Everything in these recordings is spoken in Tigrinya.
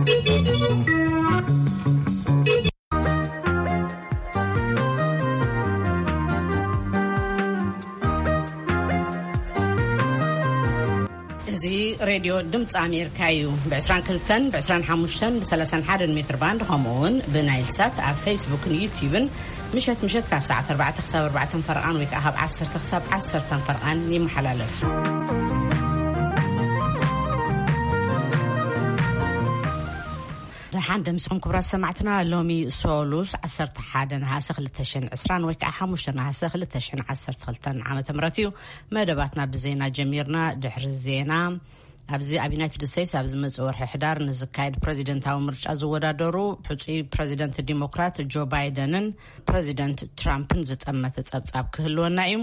እዚ ሬድዮ ድምፂ ኣሜሪካ እዩ። ብ22፣ ብ25፣ ብ31 ሜትር ባንድ፣ ከምኡ እውን ብናይል ሳት ኣብ ፌስቡክን ዩቲዩብን ምሸት ምሸት ካብ ሰዓት ኣርባዕተ ክሳብ ኣርባዕተ ፈረቓን ወይ ከዓ ካብ ዓሰርተ ክሳብ ዓሰርተ ፈረቓን ይመሓላለፍ። ደሓን ደምስኹም ክቡራት ሰማዕትና። ሎሚ ሶሉስ ዓሰርተ ሓደ ነሃሰ ክልተ ሽሕን ዕስራን ወይ ከዓ ሓሙሽተ ነሃሰ ክልተ ሽሕን ዓሰርተ ክልተን ዓመተ ምህረት እዩ። መደባትና ብዜና ጀሚርና። ድሕሪ ዜና፣ ኣብዚ ኣብ ዩናይትድ ስቴትስ ኣብ ዝመጽእ ወርሒ ሕዳር ንዝካየድ ፕሬዚደንታዊ ምርጫ ዝወዳደሩ ሕጹይ ፕሬዚደንት ዲሞክራት ጆ ባይደንን ፕሬዚደንት ትራምፕን ዝጠመተ ጸብጻብ ክህልወና እዩ።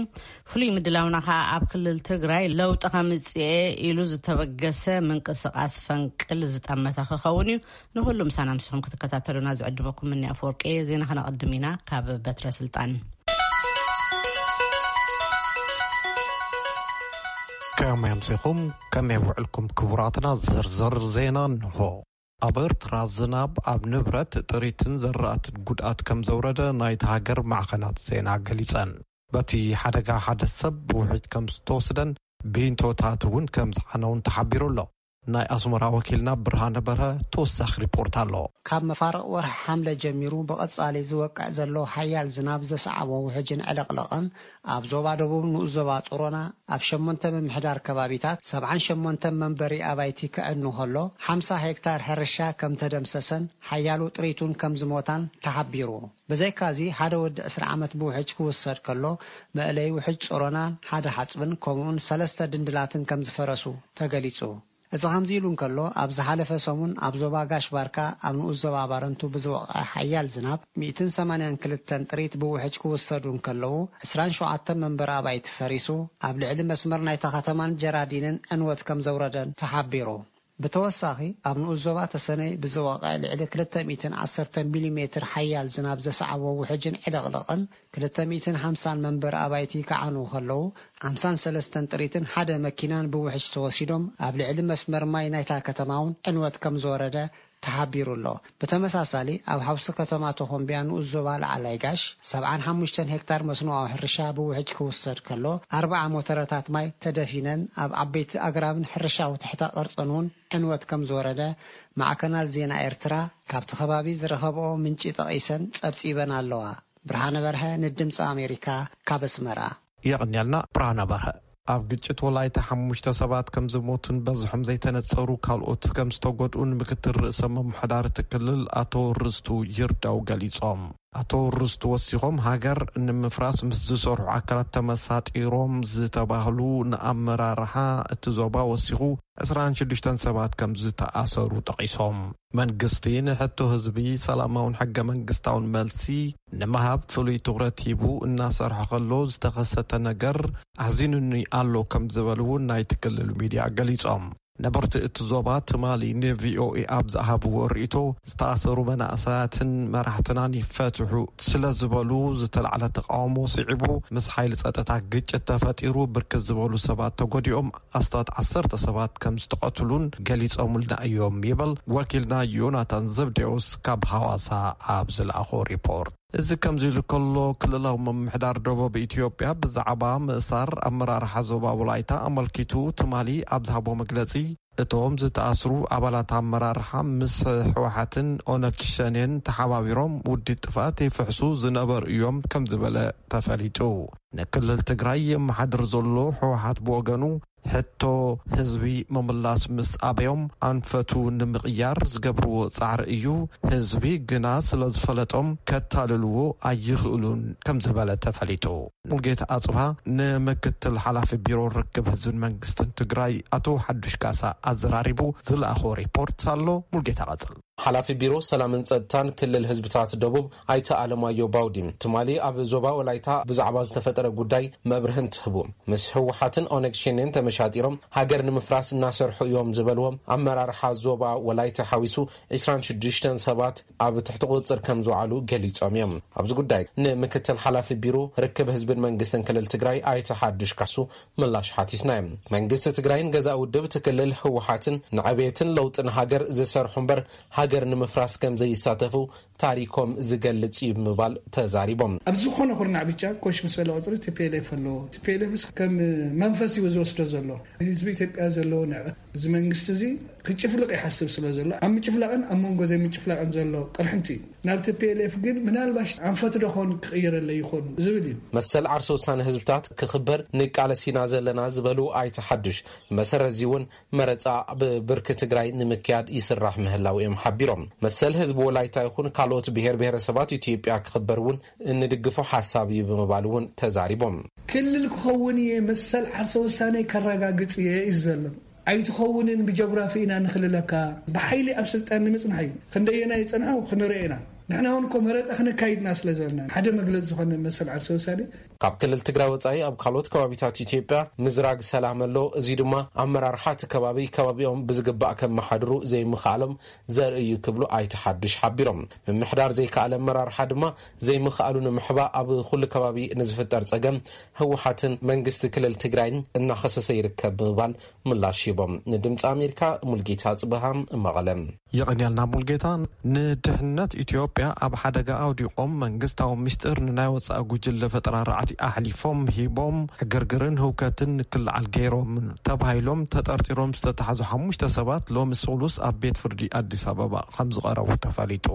ፍሉይ ምድላውና ከኣ ኣብ ክልል ትግራይ ለውጢ ከምጽኤ ኢሉ ዝተበገሰ ምንቅስቓስ ፈንቅል ዝጠመተ ክኸውን እዩ። ንኹሉ ምሳና ምስኹም ክትከታተሉና ዝዕድመኩም ምኒ ኣፈወርቂ። ዜና ከነቐድም ኢና ካብ በትረ ስልጣን። ከመይ ኣምሲኹም? ከመይ ውዕልኩም ክቡራትና? ዝርዝር ዜና እንሆ። ኣብ ኤርትራ ዝናብ ኣብ ንብረት፣ ጥሪትን ዘራእትን ጉድኣት ከም ዘውረደ ናይታ ሃገር ማዕኸናት ዜና ገሊጸን። በቲ ሓደጋ ሓደ ሰብ ብውሕጅ ከም ዝተወስደን ቢንቶታት እውን ከም ዝዓነውን ተሓቢሩ ኣሎ። ናይ ኣስመራ ወኪልና ብርሃነ በርሀ ተወሳኺ ሪፖርት ኣሎ። ካብ መፋርቕ ወርሒ ሓምለ ጀሚሩ ብቐጻሊ ዝወቅዕ ዘሎ ሓያል ዝናብ ዘስዓቦ ውሕጅን ዕልቕልቕን ኣብ ዞባ ደቡብ ንኡስ ዞባ ጾሮና ኣብ ሸሞንተ ምምሕዳር ከባቢታት ሰብዓን ሸሞንተ መንበሪ ኣባይቲ ክዕኑ ከሎ፣ ሓምሳ ሄክታር ሕርሻ ከም ተደምሰሰን ሓያሉ ጥሪቱን ከም ዝሞታን ተሓቢሩ። ብዘይካዚ፣ ሓደ ወዲ ዕስራ ዓመት ብውሕጅ ክውሰድ ከሎ፣ መእለይ ውሕጅ ጾሮናን ሓደ ሓጽብን ከምኡውን ሰለስተ ድንድላትን ከም ዝፈረሱ ተገሊጹ። እዚ ከምዚ ኢሉ እንከሎ፣ ኣብ ዝሓለፈ ሰሙን ኣብ ዞባ ጋሽ ባርካ ኣብ ንኡስ ዞባ ባረንቱ ብዝወቕዐ ሓያል ዝናብ ሚእትን ሰማንያን ክልተን ጥሪት ብውሕጅ ክውሰዱ እንከለዉ፣ ዕስራን ሸውዓተን መንበሪ ኣባይቲ ፈሪሱ፣ ኣብ ልዕሊ መስመር ናይታ ከተማን ጀራዲንን ዕንወት ከም ዘውረደን ተሓቢሩ። ብተወሳኺ፣ ኣብ ንኡስ ዞባ ተሰነይ ብዝወቕዐ ልዕሊ ክልተ ሚእትን ዓሰርተ ሚሊሜትር ሓያል ዝናብ ዘስዓቦ ውሕጅን ዕልቕልቕን ክልተ ሚእትን ሓምሳን መንበሪ ኣባይቲ ክዓኑ ከለዉ፣ ሓምሳን ሰለስተን ጥሪትን ሓደ መኪናን ብውሕጅ ተወሲዶም፣ ኣብ ልዕሊ መስመር ማይ ናይታ ከተማ እውን ዕንወት ከም ዝወረደ ተሓቢሩ ኣሎ። ብተመሳሳሊ፣ ኣብ ሓውሲ ከተማ ተኾምቢያ ንኡስ ዞባ ላዕላይ ጋሽ፣ ሰብዓን ሓሙሽተን ሄክታር መስኖኣዊ ሕርሻ ብውሕጅ ክውሰድ ከሎ፣ ኣርብዓ ሞተረታት ማይ ተደፊነን፣ ኣብ ዓበይቲ ኣግራብን ሕርሻዊ ትሕተ ቅርጽን እውን ዕንወት ከም ዝወረደ ማዕከናት ዜና ኤርትራ ካብቲ ከባቢ ዝረኸብኦ ምንጪ ጠቒሰን ጸብጺበን ኣለዋ። ብርሃነ በርሀ ንድምፂ ኣሜሪካ ካብ ኣስመራ። የቐንየልና ብርሃነ በርሀ። ኣብ ግጭት ወላይታ ሓሙሽተ ሰባት ከም ዝሞቱን በዝሖም ዘይተነጸሩ ካልኦት ከም ዝተጎድኡን ምክትል ርእሰ ምምሕዳር እቲ ክልል ኣቶ ርስቱ ይርዳው ገሊጾም። ኣቶ ርስቱ ወሲኾም፣ ሃገር ንምፍራስ ምስ ዝሰርሑ ኣካላት ተመሳጢሮም ዝተባህሉ ንኣመራርሓ እቲ ዞባ ወሲኹ ዕስራን ሽዱሽተን ሰባት ከም ዝተኣሰሩ ጠቒሶም። መንግስቲ ንሕቶ ህዝቢ ሰላማውን ሕገ መንግስታውን መልሲ ንምሃብ ፍሉይ ትኹረት ሂቡ እናሰርሐ ከሎ ዝተኸሰተ ነገር ኣሕዚኑኒ ኣሎ ከም ዝበሉ እውን ናይቲ ክልል ሚድያ ገሊጾም። ነበርቲ እቲ ዞባ ትማሊ ንቪኦኤ ኣብ ዝሃብዎ ርእይቶ፣ ዝተኣሰሩ መናእሰያትን መራሕትናን ይፈትሑ ስለ ዝበሉ ዝተላዕለ ተቃውሞ ስዒቡ ምስ ሓይሊ ጸጥታ ግጭት ተፈጢሩ ብርክት ዝበሉ ሰባት ተጎዲኦም ኣስታት ዓሰርተ ሰባት ከም ዝተቐትሉን ገሊጾምልና እዮም ይብል ወኪልና ዮናታን ዘብዴዎስ ካብ ሃዋሳ ኣብ ዝለኣኾ ሪፖርት። እዚ ከምዚ ኢሉ ከሎ፣ ክልላዊ ምምሕዳር ደቡብ ኢትዮጵያ ብዛዕባ ምእሳር ኣመራርሓ ዞባ ወላይታ ኣመልኪቱ ትማሊ ኣብ ዝሃቦ መግለጺ፣ እቶም ዝተኣስሩ ኣባላት ኣመራርሓ ምስ ህወሓትን ኦነግ ሸኔን ተሓባቢሮም ውዲት ጥፍኣት ይፍሕሱ ዝነበሩ እዮም ከም ዝበለ ተፈሊጡ። ንክልል ትግራይ የመሓድር ዘሎ ህወሓት ብወገኑ፣ ሕቶ ህዝቢ ምምላስ ምስ ኣበዮም ኣንፈቱ ንምቕያር ዝገብርዎ ጻዕሪ እዩ። ህዝቢ ግና ስለ ዝፈለጦም ከታልልዎ ኣይኽእሉን ከም ዝበለ ተፈሊጡ። ሙልጌታ ኣጽብሃ ንምክትል ሓላፊ ቢሮ ርክብ ህዝብን መንግስትን ትግራይ ኣቶ ሓዱሽ ካሳ ኣዘራሪቡ ዝለኣኾ ሪፖርት ኣሎ። ሙልጌታ ቀጽል። ሓላፊ ቢሮ ሰላምን ጸጥታን ክልል ህዝብታት ደቡብ ኣይተ ኣለማዮ ባውዲ ትማሊ ኣብ ዞባ ወላይታ ብዛዕባ ዝተፈጠረ ጉዳይ መብርሂ እንትህቡ፣ ምስ ህወሓትን ኦነግ ሸኔን ተመሻጢሮም ሃገር ንምፍራስ እናሰርሑ እዮም ዝበልዎም ኣመራርሓ ዞባ ወላይታ ሓዊሱ ዕስራን ሽዱሽተን ሰባት ኣብ ትሕቲ ቁጽጽር ከም ዝውዓሉ ገሊጾም እዮም። ኣብዚ ጉዳይ ንምክትል ሓላፊ ቢሮ ርክብ ህዝብን መንግስትን ክልል ትግራይ ኣይተ ሓዱሽ ካሱ ምላሽ ሓቲትና እዮም። መንግስቲ ትግራይን ገዛእ ውድብ እቲ ክልል ህወሓትን ንዕቤትን ለውጥን ሃገር ዝሰርሑ እምበር ሃገር ንምፍራስ ከም ዘይሳተፉ ታሪኮም ዝገልጽ እዩ ብምባል ተዛሪቦም። ኣብ ዝኾነ ኩርናዕ ብቻ ኮሽ ምስ በለ ቁፅሪ ቲ ፒ ኤል ኤፍ ኣለዎ። ቲ ፒ ኤል ኤፍ ከም መንፈስ እዩ ዝወስዶ ዘሎ። ህዝቢ ኢትዮጵያ ዘለዎ ንዕቀት እዚ መንግስቲ እዚ ክጭፍልቕ ይሓስብ ስለ ዘሎ ኣብ ምጭፍላቕን ኣብ መንጎ ዘይምጭፍላቕን ዘሎ ቅርሕንቲ እዩ። ናብ ቲ ፒ ኤል ኤፍ ግን ምናልባሽ ኣንፈት ዶ ኾን ክቕይረለይ ይኾን ዝብል እዩ። መሰል ዓርሰ ውሳነ ህዝብታት ክኽበር ንቃለስ ኢና ዘለና ዝበሉ ኣይተ ሓዱሽ፣ መሰረት እዚ እውን መረፃ ብብርኪ ትግራይ ንምክያድ ይስራሕ ምህላው እዮም ሓቢሮም። መሰል ህዝቢ ወላይታ ይኹን ካልኦት ብሔር ብሔረሰባት ኢትዮጵያ ክኽበር እውን እንድግፎ ሓሳብ እዩ ብምባል እውን ተዛሪቦም። ክልል ክኸውን እየ፣ መሰል ዓርሰ ውሳነ ከረጋግፅ እየ እዩ ዘሎ። ኣይትኸውንን፣ ብጀግራፊ ኢና ንኽልለካ፣ ብሓይሊ ኣብ ስልጣን ንምፅናሕ እዩ። ክንደየና ይፀንሑ ክንርኢ ኢና። ንሕና እውን እኮ መረፃ ክነካይድና ስለ ዘለና ሓደ መግለፂ ዝኾነ መሰል ዓርሰ ውሳኔ ካብ ክልል ትግራይ ወፃኢ ኣብ ካልኦት ከባቢታት ኢትዮጵያ ምዝራግ ሰላም ኣሎ። እዚ ድማ ኣመራርሓ እቲ ከባቢ ከባቢኦም ብዝግባእ ከመሓድሩ ዘይምኽኣሎም ዘርኢ እዩ ክብሉ ኣይተ ሓዱሽ ሓቢሮም። ምምሕዳር ዘይከኣለ ኣመራርሓ ድማ ዘይምኽኣሉ ንምሕባእ ኣብ ኩሉ ከባቢ ንዝፍጠር ፀገም ህወሓትን መንግስቲ ክልል ትግራይን እናኸሰሰ ይርከብ ብምባል ምላሽ ሂቦም። ንድምፂ ኣሜሪካ ሙልጌታ ጽበሃም መቐለ። የቐንየልና ሙልጌታ። ንድሕነት ኢትዮጵያ ኣብ ሓደጋ ኣውዲቖም መንግስታዊ ምስጢር ንናይ ወፃኢ ጉጅለ ፈጠራ ራዕዲ ኣሕሊፎም ሂቦም ዕግርግርን ህውከትን ንክልዓል ገይሮም ተባሂሎም ተጠርጢሮም ዝተታሕዙ ሓሙሽተ ሰባት ሎሚ ሰሉስ ኣብ ቤት ፍርዲ ኣዲስ ኣበባ ከም ዝቐረቡ ተፈሊጡ።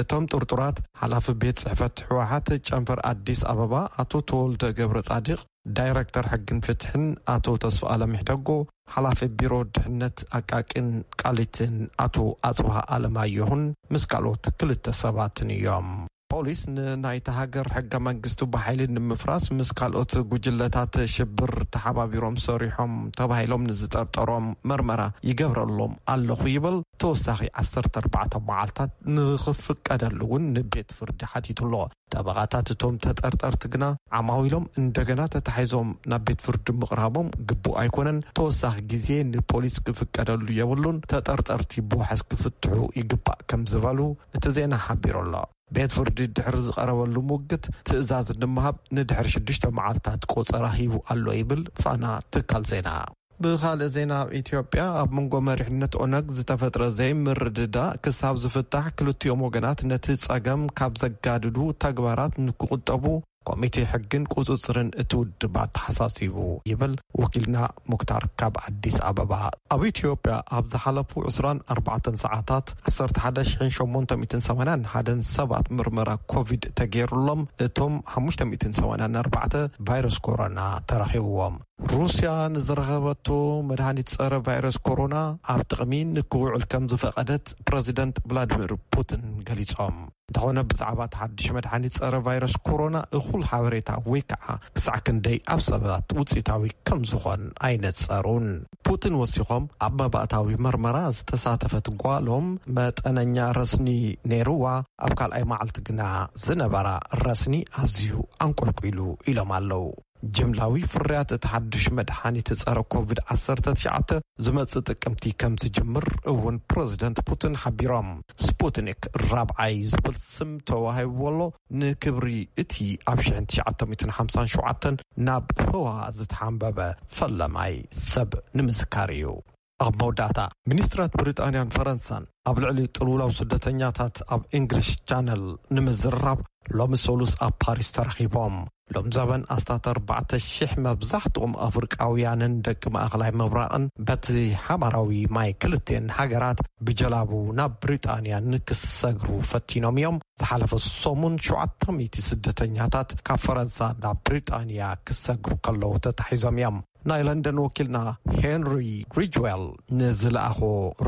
እቶም ጥርጡራት ሓላፊ ቤት ጽሕፈት ህወሓት ጨንፈር ኣዲስ ኣበባ ኣቶ ተወልደ ገብረ ጻድቕ፣ ዳይረክተር ሕግን ፍትሕን ኣቶ ተስፋኣለም ይሕደጎ፣ ሓላፊ ቢሮ ድሕነት ኣቃቂን ቃሊትን ኣቶ ኣጽብሃ ኣለማየሁን ምስ ካልኦት ክልተ ሰባትን እዮም። ፖሊስ ንናይታ ሃገር ሕገ መንግስቱ ብሓይሊ ንምፍራስ ምስ ካልኦት ጉጅለታት ሽብር ተሓባቢሮም ሰሪሖም ተባሂሎም ንዝጠርጠሮም መርመራ ይገብረሎም ኣለኹ ይብል። ተወሳኺ ዓሰርተ ኣርባዕተ መዓልታት ንኽፍቀደሉ እውን ንቤት ፍርዲ ሓቲቱ ኣሎ። ጠበቓታት እቶም ተጠርጠርቲ ግና ዓማዊሎም እንደገና ተታሒዞም ናብ ቤት ፍርዲ ምቕራቦም ግቡእ ኣይኮነን፣ ተወሳኺ ግዜ ንፖሊስ ክፍቀደሉ የብሉን፣ ተጠርጠርቲ ብዋሕስ ክፍትሑ ይግባእ ከም ዝበሉ እቲ ዜና ሓቢሩ ኣሎ። ቤት ፍርዲ ድሕሪ ዝቐረበሉ ሙግት ትእዛዝ ንምሃብ ንድሕሪ ሽዱሽተ መዓልታት ቆጸራ ሂቡ ኣሎ ይብል ፋና ትካል ዜና። ብኻልእ ዜና፣ ኣብ ኢትዮጵያ ኣብ መንጎ መሪሕነት ኦነግ ዝተፈጥረ ዘይምርድዳእ ክሳብ ዝፍታሕ ክልቲኦም ወገናት ነቲ ጸገም ካብ ዘጋድዱ ተግባራት ንክቁጠቡ ኮሚቴ ሕግን ቁጽጽርን እቲ ውድብ ኣተሓሳሲቡ ይብል ወኪልና ሙክታር ካብ ኣዲስ ኣበባ። ኣብ ኢትዮጵያ ኣብ ዝሓለፉ ዕስራን ኣርባዕተን ሰዓታት ዓሰርተ ሓደ ሽሕን ሸሞንተ ሚእትን ሰማንያን ሓደን ሰባት ምርመራ ኮቪድ ተገይሩሎም፣ እቶም ሓሙሽተ ሚእትን ሰማንያን ኣርባዕተ ቫይረስ ኮሮና ተረኺብዎም። ሩስያ ንዝረኸበቶ መድሃኒት ጸረ ቫይረስ ኮሮና ኣብ ጥቕሚ ንክውዕል ከም ዝፈቐደት ፕረዚደንት ቭላድሚር ፑቲን ገሊጾም። እንተኾነ ብዛዕባ እቲ ሓድሽ መድሃኒት ጸረ ቫይረስ ኮሮና እኹል ሓበሬታ ወይ ከዓ ክሳዕ ክንደይ ኣብ ሰባት ውጽኢታዊ ከም ዝኾን ኣይነጸሩን። ፑቲን ወሲኾም ኣብ መባእታዊ መርመራ ዝተሳተፈት ጓሎም መጠነኛ ረስኒ ነይርዋ፣ ኣብ ካልኣይ መዓልቲ ግና ዝነበራ ረስኒ ኣዝዩ ኣንቆልቂሉ ኢሎም ኣለዉ። ጅምላዊ ፍርያት እቲ ሓድሽ መድሓኒት ጸረ ኮቪድ ዓሰርተ ትሽዓተ ዝመጽእ ጥቅምቲ ከም ዝጅምር እውን ፕረዚደንት ፑቲን ሓቢሮም። ስፑትኒክ ራብዓይ ዝብል ስም ተዋሂብዎ ኣሎ፣ ንክብሪ እቲ ኣብ ሽሕን ትሽዓተ ሚእትን ሓምሳን ሸውዓተን ናብ ህዋ ዝተሓንበበ ፈለማይ ሰብ ንምዝካር እዩ። ኣብ መወዳእታ፣ ሚኒስትራት ብሪጣንያን ፈረንሳን ኣብ ልዕሊ ጥልውላው ስደተኛታት ኣብ እንግሊሽ ቻነል ንምዝርራብ ሎሚ ሰሉስ ኣብ ፓሪስ ተረኺቦም። ሎም ዘበን ኣስታት ኣርባዕተ ሺሕ መብዛሕትኦም ኣፍሪቃውያንን ደቂ ማእኸላይ ምብራቕን በቲ ሓባራዊ ማይ ክልቲኤን ሃገራት ብጀላቡ ናብ ብሪጣንያ ንክሰግሩ ፈቲኖም እዮም። ዝሓለፈ ሰሙን ሸውዓተ ሚእቲ ስደተኛታት ካብ ፈረንሳ ናብ ብሪጣንያ ክሰግሩ ከለዉ ተታሒዞም እዮም። ናይ ለንደን ወኪልና ሄንሪ ሪጅዌል ንዝለኣኾ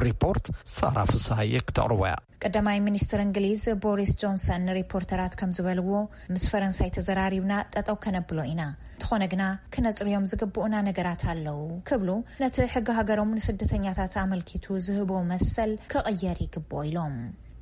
ሪፖርት ሳራ ፍሳሃየ ክተቕርቦ እያ። ቀዳማይ ሚኒስትር እንግሊዝ ቦሪስ ጆንሰን ንሪፖርተራት ከም ዝበልዎ፣ ምስ ፈረንሳይ ተዘራሪብና ጠጠው ከነብሎ ኢና፣ እንተኾነ ግና ክነፅርዮም ዝግብኡና ነገራት ኣለዉ ክብሉ፣ ነቲ ሕጊ ሃገሮም ንስደተኛታት ኣመልኪቱ ዝህቦ መሰል ክቕየር ይግብኦ ኢሎም።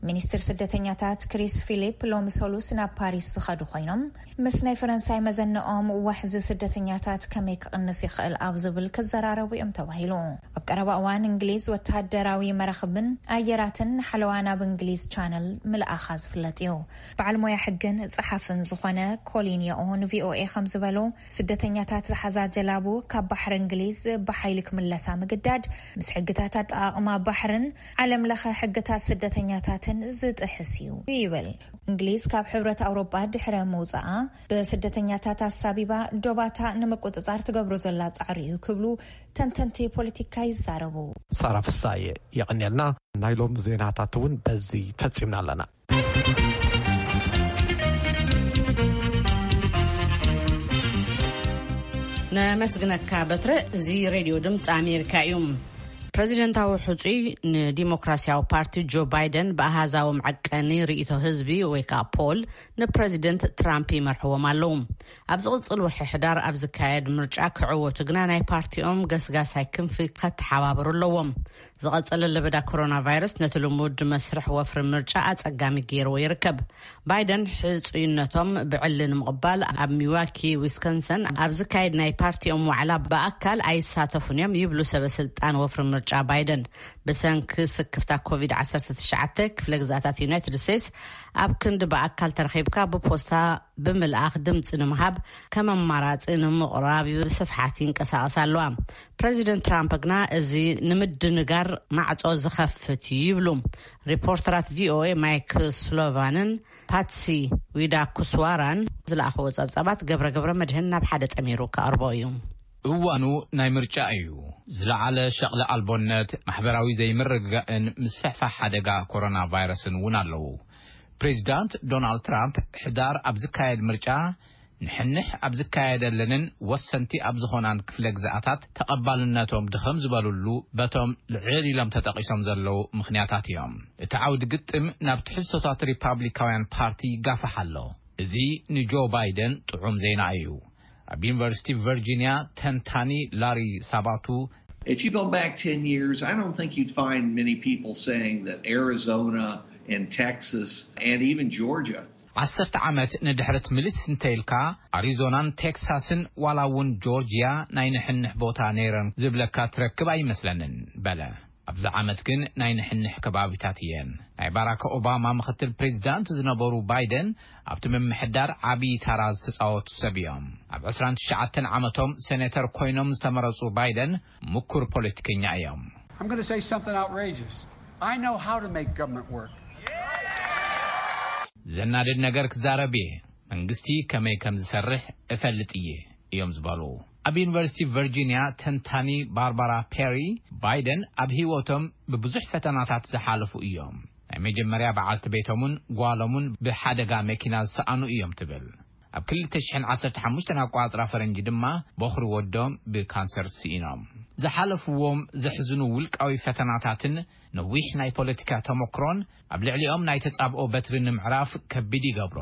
ሚኒስትር ስደተኛታት ክሪስ ፊሊፕ ሎሚ ሰሉስ ናብ ፓሪስ ዝኸዱ ኮይኖም፣ ምስ ናይ ፈረንሳይ መዘነኦም ዋሕዚ ስደተኛታት ከመይ ክቕንስ ይኽእል ኣብ ዝብል ክዘራረቡ እዮም ተባሂሉ። ኣብ ቀረባ እዋን እንግሊዝ ወተሃደራዊ መራኽብን ኣየራትን ሓለዋ ናብ እንግሊዝ ቻነል ምልኣኻ ዝፍለጥ እዩ። በዓል ሞያ ሕግን ጸሓፍን ዝኾነ ኮሊን የኦ ንቪኦኤ ከም ዝበሎ፣ ስደተኛታት ዝሓዛ ጀላቡ ካብ ባሕሪ እንግሊዝ ብሓይሊ ክምለሳ ምግዳድ ምስ ሕግታት ኣጠቓቕማ ባሕርን ዓለም ለኸ ሕግታት ስደተኛታትን ዝጥሕስ እዩ ይብል። እንግሊዝ ካብ ሕብረት ኣውሮጳ ድሕረ ምውጻኣ፣ ብስደተኛታት ኣሳቢባ ዶባታ ንምቁጽጻር ትገብሮ ዘላ ጻዕሪ እዩ ክብሉ ተንተንቲ ፖለቲካ ይዛረቡ። ሳራ ፍሳየ፣ የቐንየልና። ናይ ሎም ዜናታት እውን በዚ ፈጺምና ኣለና። ነመስግነካ በትረ። እዚ ሬድዮ ድምፂ ኣሜሪካ እዩ። ፕሬዚደንታዊ ሕፁይ ንዲሞክራሲያዊ ፓርቲ ጆ ባይደን ብኣሃዛዊ መዐቀኒ ርእይቶ ህዝቢ ወይ ከዓ ፖል ንፕሬዚደንት ትራምፕ ይመርሕዎም ኣለዉ። ኣብ ዝቕፅል ወርሒ ሕዳር ኣብ ዝካየድ ምርጫ ክዕወቱ ግና ናይ ፓርቲኦም ገስጋሳይ ክንፊ ከተሓባበሩ ኣለዎም። ዝቐፀለ ለበዳ ኮሮና ቫይረስ ነቲ ልሙድ መስርሕ ወፍሪ ምርጫ ኣፀጋሚ ገይርዎ ይርከብ። ባይደን ሕፁይነቶም ብዕሊ ንምቕባል ኣብ ሚዋኪ ዊስኮንሰን ኣብ ዝካየድ ናይ ፓርቲኦም ዋዕላ ብኣካል ኣይሳተፉን እዮም ይብሉ ሰበ ስልጣን ወፍሪ ምርጫ ባይደን። ብሰንኪ ስክፍታ ኮቪድ ዓሰርተ ትሽዓተ ክፍለ ግዛታት ዩናይትድ ስቴትስ ኣብ ክንዲ ብኣካል ተረኺብካ ብፖስታ ብምልኣኽ ድምፂ ንምሃብ ከም ኣማራፂ ንምቕራብ ብስፍሓት ይንቀሳቐሳ ኣለዋ። ፕሬዚደንት ትራምፕ ግና እዚ ንምድንጋር ማዕፆ ዝኸፍት እዩ ይብሉ። ሪፖርተራት ቪኦኤ ማይክ ስሎቫንን ፓትሲ ዊዳ ኩስዋራን ዝለኣኽዎ ፀብፃባት ገብረ ገብረ መድህን ናብ ሓደ ጠሚሩ ከቕርቦ እዩ። እዋኑ ናይ ምርጫ እዩ። ዝለዓለ ሸቕሊ ኣልቦነት፣ ማሕበራዊ ዘይምርግጋእን ምስፍሕፋሕ ሓደጋ ኮሮና ቫይረስን እውን ኣለዉ። ፕሬዚዳንት ዶናልድ ትራምፕ ሕዳር ኣብ ዝካየድ ምርጫ ንሕንሕ ኣብ ዝካየደለንን ወሰንቲ ኣብ ዝኾናን ክፍለ ግዝኣታት ተቐባልነቶም ድኸም ዝበሉሉ በቶም ልዕል ኢሎም ተጠቒሶም ዘለዉ ምኽንያታት እዮም። እቲ ዓውዲ ግጥም ናብ ትሕዝቶታት ሪፓብሊካውያን ፓርቲ ይጋፋሕ ኣሎ። እዚ ንጆ ባይደን ጥዑም ዜና እዩ። ኣብ ዩኒቨርሲቲ ቨርጂኒያ ተንታኒ ላሪ ሳባቱ If you go back ten years, I don't think you'd find many people saying that Arizona and Texas and even Georgia ዓሰርተ ዓመት ንድሕረት ምልስ እንተኢልካ ኣሪዞናን ቴክሳስን ዋላ እውን ጆርጂያ ናይ ንሕንሕ ቦታ ነይረን ዝብለካ ትረክብ ኣይመስለንን በለ። ኣብዚ ዓመት ግን ናይ ንሕንሕ ከባቢታት እየን። ናይ ባራክ ኦባማ ምኽትል ፕሬዚዳንት ዝነበሩ ባይደን ኣብቲ ምምሕዳር ዓብዪ ታራ ዝተፃወቱ ሰብ እዮም። ኣብ ዕስራን ትሽዓተን ዓመቶም ሴኔተር ኮይኖም ዝተመረፁ ባይደን ምኩር ፖለቲከኛ እዮም። I'm going to say something outrageous. I know how to make government work. ዘናድድ ነገር ክዛረብ እየ። መንግስቲ ከመይ ከም ዝሰርሕ እፈልጥ እየ እዮም ዝበሉ። ኣብ ዩኒቨርሲቲ ቨርጂኒያ ተንታኒ ባርባራ ፔሪ ባይደን ኣብ ህይወቶም ብብዙሕ ፈተናታት ዝሓለፉ እዮም። ናይ መጀመርያ በዓልቲ ቤቶምን ጓሎምን ብሓደጋ መኪና ዝሰኣኑ እዮም ትብል። ኣብ ክልተ ሽሕን ዓሰርተ ሓሙሽተን ኣቋጽራ ፈረንጂ ድማ በኹሪ ወዶም ብካንሰር ስኢኖም። ዝሓለፍዎም ዘሕዝኑ ውልቃዊ ፈተናታትን ነዊሕ ናይ ፖለቲካ ተመክሮን ኣብ ልዕሊኦም ናይ ተጻብኦ በትሪ ንምዕራፍ ከቢድ ይገብሮ።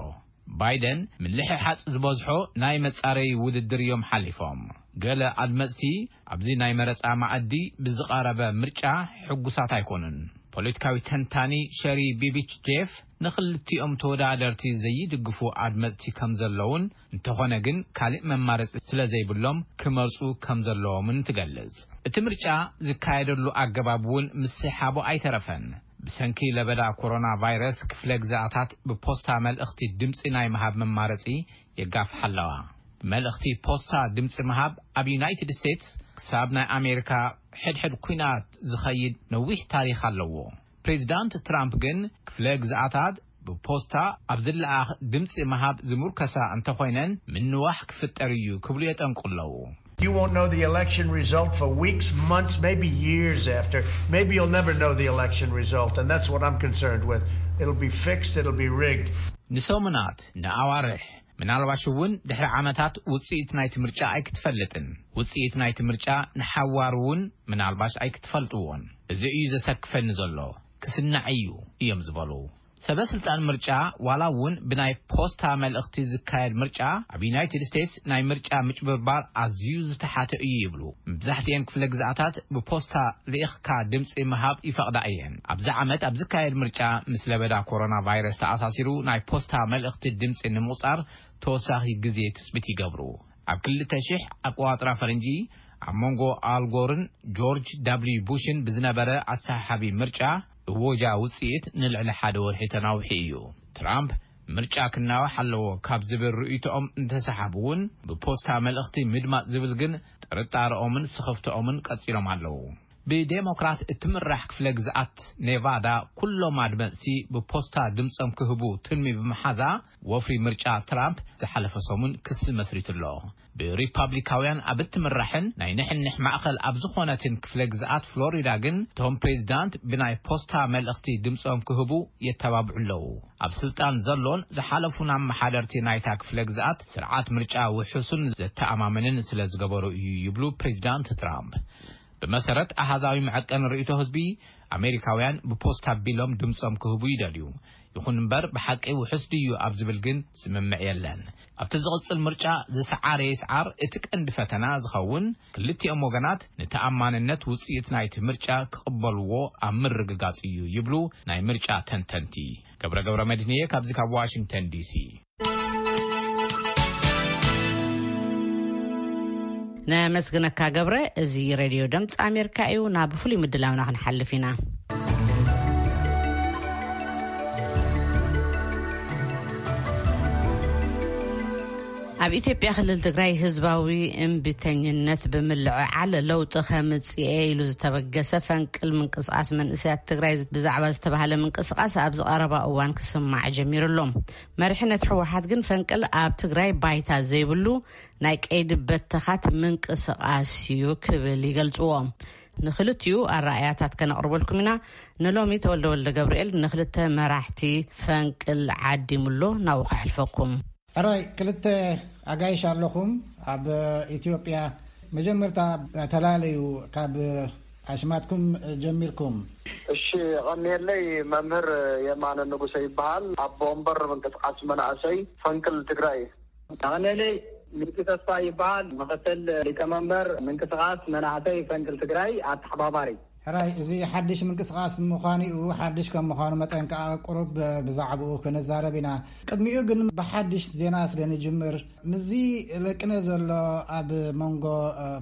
ባይደን ምልሕሓጽ ዝበዝሖ ናይ መጻረዪ ውድድር እዮም ሓሊፎም። ገለ ኣድመጽቲ ኣብዚ ናይ መረጻ ማኣዲ ብዝቐረበ ምርጫ ሕጉሳት ኣይኮኑን። ፖለቲካዊ ተንታኒ ሸሪ ቢቢች ጄፍ ንኽልቲኦም ተወዳደርቲ ዘይድግፉ ኣድመጽቲ ከም ዘለውን እንተኾነ ግን ካልእ መማረጺ ስለ ዘይብሎም ክመርጹ ከም ዘለዎምን ትገልጽ። እቲ ምርጫ ዝካየደሉ ኣገባብ እውን ምስሕሓቡ ኣይተረፈን። ብሰንኪ ለበዳ ኮሮና ቫይረስ ክፍለ ግዛኣታት ብፖስታ መልእኽቲ ድምጺ ናይ ምሃብ መማረጺ የጋፍሓ ኣለዋ። ብመልእኽቲ ፖስታ ድምጺ ምሃብ ኣብ ዩናይትድ ስቴትስ ክሳብ ናይ ኣሜሪካ ሕድሕድ ኲናት ዝኸይድ ነዊሕ ታሪኽ ኣለዎ። ፕሬዚዳንት ትራምፕ ግን ክፍለ ግዛኣታት ብፖስታ ኣብ ዝለኣኽ ድምጺ ምሃብ ዝምርከሳ እንተኾይነን ምንዋሕ ክፍጠር እዩ ክብሉ የጠንቁ ኣለዉ። You won't know the election result for weeks, months, maybe years after. Maybe you'll never know the election result, and that's what I'm concerned with. It'll be fixed, it'll be rigged. ንሰሙናት፣ ንኣዋርሕ፣ ምናልባሽ እውን ድሕሪ ዓመታት ውጽኢት ናይቲ ምርጫ ኣይክትፈልጥን። ውጽኢት ናይቲ ምርጫ ንሓዋሩ እውን ምናልባሽ ኣይክትፈልጥዎን። እዚ እዩ ዘሰክፈኒ ዘሎ። ክስናዕ እዩ እዮም ዝበሉ። ሰበ ስልጣን ምርጫ ዋላ እውን ብናይ ፖስታ መልእኽቲ ዝካየድ ምርጫ ኣብ ዩናይትድ ስቴትስ ናይ ምርጫ ምጭብርባር ኣዝዩ ዝተሓተ እዩ ይብሉ። መብዛሕትኤን ክፍለ ግዝኣታት ብፖስታ ልኢኽካ ድምፂ ምሃብ ይፈቕዳ እየን። ኣብዚ ዓመት ኣብ ዝካየድ ምርጫ ምስ ለበዳ ኮሮና ቫይረስ ተኣሳሲሩ ናይ ፖስታ መልእኽቲ ድምፂ ንምቑፃር ተወሳኺ ግዜ ትፅቢት ይገብሩ። ኣብ ክልተ ሺሕ ኣቆዋጥራ ፈረንጂ ኣብ መንጎ ኣልጎርን ጆርጅ ዳብልዩ ቡሽን ብዝነበረ ኣሰሓሓቢ ምርጫ እወጃ ውጽኢት ንልዕሊ ሓደ ወርሒ ተናውሒ እዩ። ትራምፕ ምርጫ ክናዋሕ ኣለዎ ካብ ዝብል ርእይቶኦም እንተሰሓቡ እውን ብፖስታ መልእኽቲ ምድማጽ ዝብል ግን ጥርጣረኦምን ስኽፍተኦምን ቀጺሎም ኣለዉ። ብዴሞክራት እትምራሕ ክፍለ ግዝኣት ኔቫዳ ኩሎም ኣድመጽቲ ብፖስታ ድምጾም ክህቡ ትልሚ ብምሓዛ ወፍሪ ምርጫ ትራምፕ ዝሓለፈ ሰሙን ክሲ መስሪቱ ኣሎ። ብሪፓብሊካውያን ኣብ እትምራሕን ናይ ንሕንሕ ማእኸል ኣብ ዝኾነትን ክፍለ ግዝኣት ፍሎሪዳ ግን እቶም ፕሬዚዳንት ብናይ ፖስታ መልእኽቲ ድምጾም ክህቡ የተባብዑ ኣለዉ። ኣብ ስልጣን ዘሎን ዝሓለፉን ኣመሓደርቲ ናይታ ክፍለ ግዝኣት ስርዓት ምርጫ ውሑስን ዘተኣማምንን ስለ ዝገበሩ እዩ ይብሉ ፕሬዚዳንት ትራምፕ። ብመሰረት ኣሃዛዊ መዐቀኒ ርእይቶ ህዝቢ ኣሜሪካውያን ብፖስታ ቢሎም ድምጾም ክህቡ ይደልዩ። ይኹን እምበር ብሓቂ ውሑስ ድዩ ኣብ ዝብል ግን ስምምዕ የለን። ኣብቲ ዝቕጽል ምርጫ ዝሰዓረ ይስዓር እቲ ቀንዲ ፈተና ዝኸውን ክልቲኦም ወገናት ንተኣማንነት ውጽኢት ናይቲ ምርጫ ክቕበልዎ ኣብ ምርግጋጽ እዩ ይብሉ ናይ ምርጫ ተንተንቲ። ገብረ ገብረ መድህንየ ካብዚ ካብ ዋሽንግተን ዲሲ። ነመስግነካ ገብረ። እዚ ሬድዮ ድምፂ ኣሜሪካ እዩ። ናብ ፍሉይ ምድላውና ክንሓልፍ ኢና። ኣብ ኢትዮጵያ ክልል ትግራይ ህዝባዊ እምቢተኝነት ብምልዕዓል ለውጢ ከምፅኤ ኢሉ ዝተበገሰ ፈንቅል ምንቅስቃስ መንእሰያት ትግራይ ብዛዕባ ዝተባሃለ ምንቅስቃስ ኣብዚ ቀረባ እዋን ክስማዕ ጀሚሩ ኣሎ። መሪሕነት ህወሓት ግን ፈንቅል ኣብ ትግራይ ባይታ ዘይብሉ ናይ ቀይዲ በተኻት ምንቅስቃስ እዩ ክብል ይገልፅዎ። ንክልቲኡ ኣረኣያታት ከነቕርበልኩም ኢና። ንሎሚ ተወልደ ወልደ ገብርኤል ንክልተ መራሕቲ ፈንቅል ዓዲሙሎ ናብኡ ከሕልፈኩም። ሕራይ፣ ክልተ ኣጋይሽ ኣለኹም ኣብ ኢትዮጵያ። መጀመርታ ተላለዩ ካብ ኣሽማትኩም ጀሚርኩም። እሺ፣ ቀኒየለይ። መምህር የማነ ንጉሰ ይበሃል። ኣቦ ወንበር ምንቅስቃስ መናእሰይ ፈንቅል ትግራይ። ቀኒየለይ። ሚኪ ተስፋ ይበሃል። ምክትል ሊቀመንበር ምንቅስቃስ መናእሰይ ፈንቅል ትግራይ ኣተሓባባሪ። ሕራይ፣ እዚ ሓድሽ ምንቅስቃስ ምዃኑ እዩ። ሓድሽ ከም ምዃኑ መጠን ከኣ ቁሩብ ብዛዕባኡ ክንዛረብ ኢና። ቅድሚኡ ግን ብሓድሽ ዜና ስለ ንጅምር፣ ምስዚ ለቅነ ዘሎ ኣብ መንጎ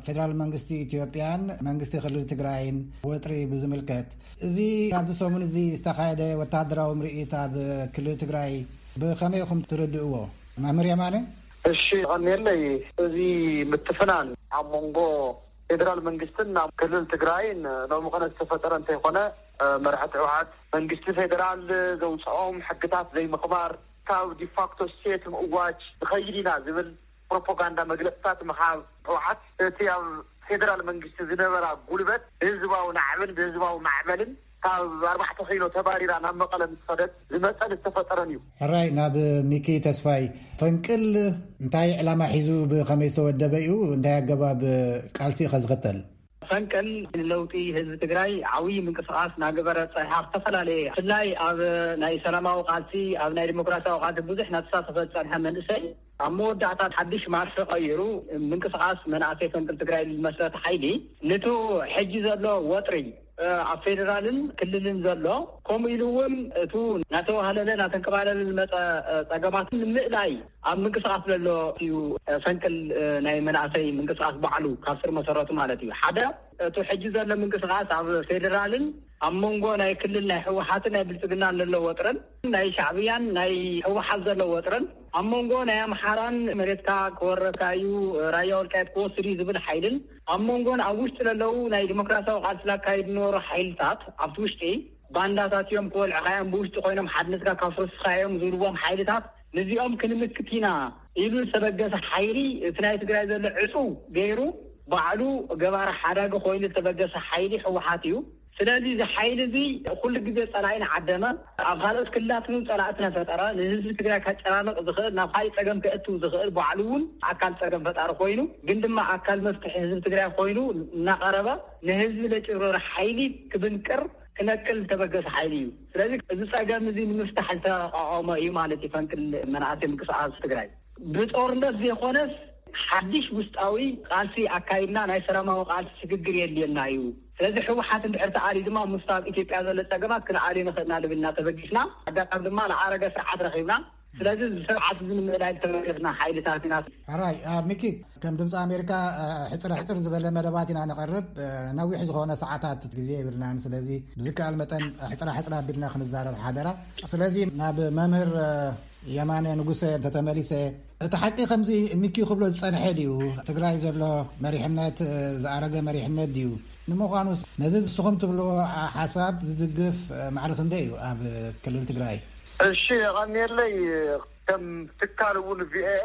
ፌደራል መንግስቲ ኢትዮጵያን መንግስቲ ክልል ትግራይን ወጥሪ ብዝምልከት፣ እዚ ኣብዚ ሰሙን እዚ ዝተኻየደ ወታደራዊ ምርኢት ኣብ ክልል ትግራይ ብኸመይ ኢኹም ትርድእዎ? መምህር የማነ? እሺ፣ ቀኒየለይ። እዚ ምትፍናን ኣብ መንጎ ፌደራል መንግስትን ናብ ክልል ትግራይን ሎሚ ኸነ ዝተፈጠረ እንተይኾነ፣ መራሕቲ ህወሓት መንግስቲ ፌደራል ዘውፅኦም ሕግታት ዘይምኽባር፣ ካብ ዲፋክቶ ስቴት ምእዋጅ ንኸይድ ኢና ዝብል ፕሮፓጋንዳ መግለፅታት ምሃብ ህወሓት፣ እቲ ኣብ ፌደራል መንግስቲ ዝነበራ ጉልበት ብህዝባዊ ናዕብን ብህዝባዊ ማዕበልን ካብ ኣርባዕተ ኪሎ ተባሪራ ናብ መቐለ ምስ ኸደት ዝመፀን ዝተፈጠረን እዩ። ሕራይ፣ ናብ ሚኪ ተስፋይ። ፈንቅል እንታይ ዕላማ ሒዙ ብኸመይ ዝተወደበ እዩ? እንታይ ኣገባብ ቃልሲ ኸ ዝኽተል? ፈንቅል ንለውጢ ህዝቢ ትግራይ ዓብዪ ምንቅስቃስ እናገበረ ፀኒሓ፣ ዝተፈላለየ ብፍላይ ኣብ ናይ ሰላማዊ ቃልሲ፣ ኣብ ናይ ዲሞክራሲያዊ ቃልሲ ብዙሕ እናተሳተፈ ዝፀንሐ መንእሰይ ኣብ መወዳእታ ሓድሽ ማርፊ ቀይሩ ምንቅስቃስ መናእሰይ ፈንቅል ትግራይ ዝመስረተ ሓይሊ ንቱ ሕጂ ዘሎ ወጥሪ ኣብ ፌደራልን ክልልን ዘሎ፣ ከምኡ ኢሉ እውን እቱ እናተዋህለለ እናተንከባለለ ዝመፀ ፀገማት ንምእላይ ኣብ ምንቅስቃስ ዘሎ እዩ። ፈንቅል ናይ መናእሰይ ምንቅስቃስ ባዕሉ ካብ ስር መሰረቱ ማለት እዩ። ሓደ፣ እቱ ሕጂ ዘሎ ምንቅስቃስ ኣብ ፌደራልን ኣብ መንጎ ናይ ክልል ናይ ህወሓትን ናይ ብልፅግናን ዘሎ ወጥረን፣ ናይ ሻዕብያን ናይ ህወሓት ዘሎ ወጥረን፣ ኣብ መንጎ ናይ ኣምሓራን መሬትካ ክወረካ እዩ፣ ራያ ወልቃየት ክወስድ እዩ ዝብል ሓይልን፣ ኣብ መንጎን ኣብ ውሽጢ ዘለዉ ናይ ዲሞክራሲያዊ ቃልሲ ላካየዱ ዝነበሩ ሓይልታት ኣብቲ ውሽጢ ባንዳታት እዮም፣ ክወልዕኻ እዮም፣ ብውሽጢ ኮይኖም ሓድነትካ ከፍርስኻ እዮም ዝብልዎም ሓይልታት፣ ንዚኦም ክንምክት ኢና ኢሉ ዝተበገሰ ሓይሊ፣ እቲ ናይ ትግራይ ዘሎ ዕፁው ገይሩ ባዕሉ ገባሪ ሓዳጊ ኮይኑ ዝተበገሰ ሓይሊ ህወሓት እዩ። ስለዚ እዚ ሓይሊ እዚ ኩሉ ግዜ ጸላኢና ዓደመ፣ ኣብ ካልኦት ክልላት እውን ጸላእትና ፈጠረ። ንህዝቢ ትግራይ ከጨናንቕ ዝኽእል፣ ናብ ካልእ ጸገም ከእትው ዝኽእል ባዕሉ እውን ኣካል ጸገም ፈጣሪ ኮይኑ፣ ግን ድማ ኣካል መፍትሒ ህዝቢ ትግራይ ኮይኑ እናቐረበ ንህዝቢ ለጭብረረ ሓይሊ ክብንቅር ክነቅል ዝተበገሰ ሓይሊ እዩ። ስለዚ እዚ ጸገም እዚ ንምፍታሕ ዝተቋቋመ እዩ ማለት እዩ ፈንቅል መናእሰይ ምንቅስቃስ ትግራይ። ብጦርነት ዘይኮነስ ሓድሽ ውስጣዊ ቃልሲ ኣካይድና ናይ ሰላማዊ ቃልሲ ስግግር የድልየና እዩ። ስለዚ ህወሓት እንድሕር ተኣልዩ ድማ ምስቲ ኣብ ኢትዮጵያ ዘሎ ጸገማት ክንኣልዮ ንኽእልና ልብልና ተበጊስና። ኣጋጣሚ ድማ ዝዓረገ ስርዓት ረኺብና። ስለዚ እዚ ስርዓት እዚ ንምእላይ ዝተበገስና ሓይልታት ኢና። ሕራይ ሚኪ፣ ከም ድምፂ ኣሜሪካ ሕፅረ ሕፅር ዝበለ መደባት ኢና ነቐርብ። ነዊሕ ዝኾነ ሰዓታት ግዜ የብልናን። ስለዚ ብዝከኣል መጠን ሕፅረ ሕፅር ኣቢልና ክንዛረብ ሓደራ። ስለዚ ናብ መምህር የማነ ንጉሰ እንተተመሊሰ፣ እቲ ሓቂ ከምዚ ሚኪ ክብሎ ዝጸንሐ ድዩ? ትግራይ ዘሎ መሪሕነት ዝኣረገ መሪሕነት ድዩ? ንምዃኑስ ነዚ ንስኹም ትብልዎ ሓሳብ ዝድግፍ ማዕረ ክንደይ እዩ ኣብ ክልል ትግራይ? እሺ፣ የቐንየለይ። ከም ትካል እውን ቪኦኤ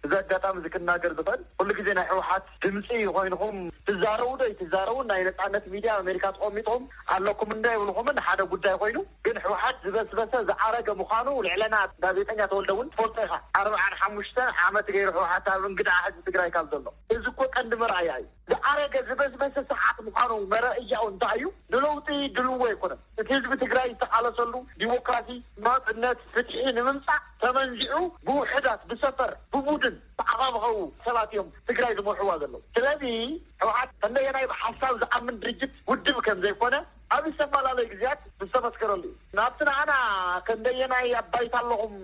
እዚ ኣጋጣሚ እዚ ክናገር ዝኽእል፣ ኩሉ ግዜ ናይ ህወሓት ድምፂ ኮይንኹም ትዛረቡ ዶ ይትዛረቡ፣ ናይ ነፃነት ሚድያ ኣሜሪካ ተቐሚጥኹም ኣለኩም እንዶ ይብልኹምን ሓደ ጉዳይ ኮይኑ፣ ግን ህወሓት ዝበስበሰ ዝኣረገ ምዃኑ ልዕለና ጋዜጠኛ ተወልደ እውን ትፈልጦ ኢኻ። ኣርብዓን ሓሙሽተን ዓመት ገይሩ ህወሓት ኣብ እንግድዓ ህዝቢ ትግራይ ካብ ዘሎ፣ እዚ እኮ ቀንዲ መርኣያ እዩ። ዝኣረገ ዝበስበሰ ስርዓት ምዃኑ መረእያኡ እንታይ እዩ? ንለውጢ ድልዎ ኣይኮነን። እቲ ህዝቢ ትግራይ ዝተቓለሰሉ ዲሞክራሲ፣ ናፅነት፣ ፍትሒ ንምምፃእ ተመንዚዑ ብውሕዳት፣ ብሰፈር፣ ብቡድን ተዓኻብኸው ሰባት እዮም ትግራይ ዝመርሕዋ ዘለዉ። ስለዚ ህወሓት ከንደየናይ ብሓሳብ ዝኣምን ድርጅት ውድብ ከም ዘይኮነ ኣብ ዝተፈላለዩ ግዜያት ዝተመስከረሉ እዩ። ናብቲ ንዓና ከንደየናይ ኣብ ባይታ ኣለኹም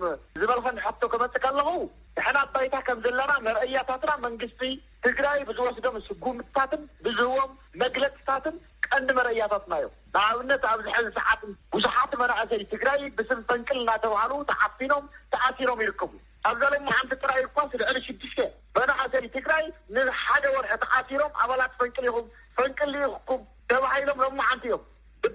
ዝበልኸን ሕቶ ክመፅእ ከለኹ፣ ንሕና ኣብ ባይታ ከም ዘለና መርኣያታትና መንግስቲ ትግራይ ብዝወስዶም ስጉምትታትን ብዝህቦም መግለፅታትን ቀንዲ መረእያታትና እዮም። ንኣብነት ኣብዚ ሕዚ ሰዓት ብዙሓት መናእሰይ ትግራይ ብስም ፈንቅል እናተባህሉ ተዓፊኖም ተኣሲሮም ይርከቡ። ኣብዛ ሎማዓንቲ ጥራይ እኳስ ልዕሊ ሽዱሽተ መናእሰይ ትግራይ ንሓደ ወርሒ ተኣሲሮም ኣባላት ፈንቅል ኢኹም፣ ፈንቅል ኢኹም ተባሂሎም ሎማዓንቲ እዮም